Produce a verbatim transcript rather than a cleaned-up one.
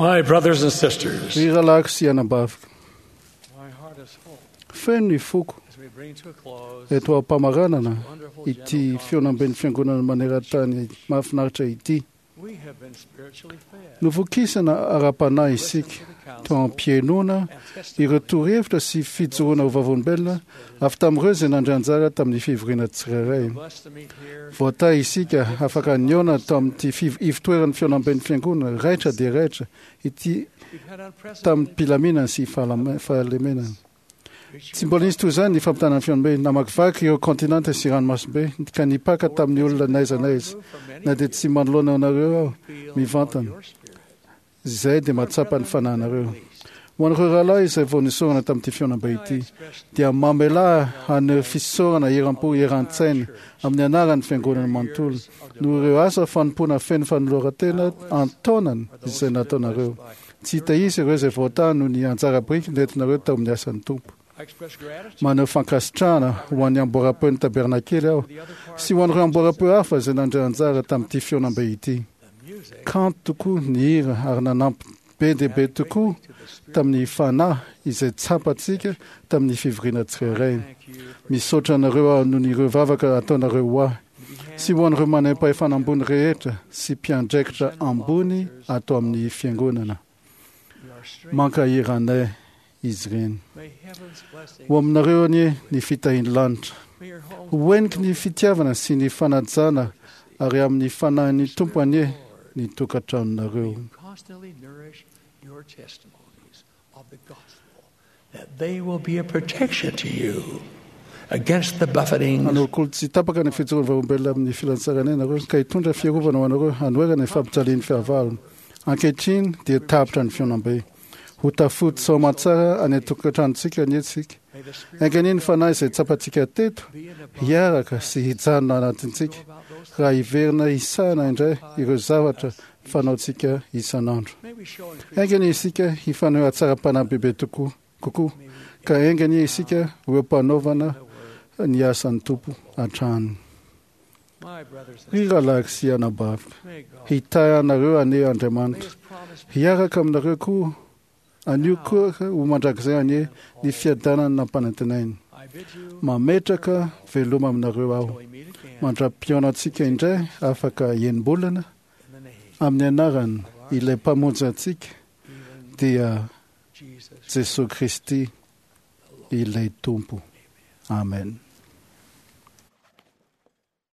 My brothers and sisters, Ry rahalahiko sy anabaviko, my heart is full feno ny foko as we bring to a close eto am-pamaranana wonderful ity general fihaonamben'ny fiangonana maneran-tany mahafinaritra ity. We have been spiritually fed. Novokisana ara-panahy isika Listen to the teo counsel am-pihainoana and testimony ireo torohevitra sy fijoroana ho vavolombelona avy tamin'ireo izay nandray anjara tamin'ny fivoriana tsirairay. Blessed to meet here Voatahy isika afaka nihaona tao amin'ity fiv- ivotoeran'ny fihaonamben'ny fiangonana raitra dia raitra ity We've had unprecedented tamin'ny pilaminana sy fahalame- fahalemenana. Tsy mbola nisy toy izany ny fampitana ny fihaonambe namakivaky ireo kontinanta sy ranomasimbe ka nipaka tamin'ny olona n'aiza n'aiza. Na dia tsy manoloana anareo aho mivantana, izay dia mahatsapa ny fanahinareo. Ho an'ireo rahalahy izay vao nisorana tamin'ity fihaonambe ity, dia mamelà haneho fisaorana eram-po eran-tsaina amin'ny anaran'ny fiangonana manontolo noho ireo asa fanompoana feno fanoloran-tena an-taonany izay nataonareo. Tsy hita izy ireo izay voatahy noho ny anjara biriky nentinareo tao amin'ny asan'ny Tompo. I express gratitude Maneho fankasitrahana ho an'ny amboaram-peon'ny tabernakely aho to the other choirs sy ho an'ireo amboaram-peo hafa izay nandray anjara tamin'ity fihaonambe ity. the music Kanto tokoa ny hira ary nanampy be dia be tokoa to the spirit. tamin'ny fanahy izay tsapantsika tamin'ny fivoriana tsirairay. Thank you for Misaotra anareo aho noho ny ireo vavaka ataonareo ho ahy sy ho an'ireo manam-pahefana ambony rehetra sy mpiandraikitra ambony ato amin'ny fiangonana. your strength. Mankahery anay izy ireny. May heaven's blessing Ho aminareo anie ny fitahian'ny lanitra. may your home Ho heniky ny fitiavana sy ny fanajana ary amin'ny fanahin'ny Tompo anie ny tokantranonareo. May you constantly nourish your testimonies of the gospel, that they will be a protection to you against the buffetings Hanolokolo tsy tapaka ny fijoroan'ny vavolombelona amin'ny filazantsaranay nareo ka hitondra fiarovana ho anareo hanoherana ny fampijalian'ny fahavalo. Ankehitriny dia tapitra ny fihaonambe. Ho tafody soamantsara any an-tokantranontsika anie tsika. May the Spirit Enga anie ny fanahy izay tsapantsika teto be in abundance hiaraka sy hijanona anatintsika about those raha hiverina hisahana indray ireo zavatra fanaontsika isan'andro. May we show increased Enga anie isika hifaneho hatsaram-panahy bebe tokoa kokoa ka enga anie isika ho eo am-panaovana ny asan'ny Tompo hatrany. my brothers and Ry rahalahiko sy anabaviko, may God hitahy anareo anie may Andriamanitra. his promise Hiaraka aminareo koa anio koa ho mandrakizay anie ny fiadanana nampanantenainy. I bid you Mametraka veloma aminareo aho. till we meet again Mandra-pihaona antsika indray afaka enim-bolana in the name amin'ny anarany ilay mpamonjy antsika even dia Jesus Jesosy Kristy ilay Tompo. Amen.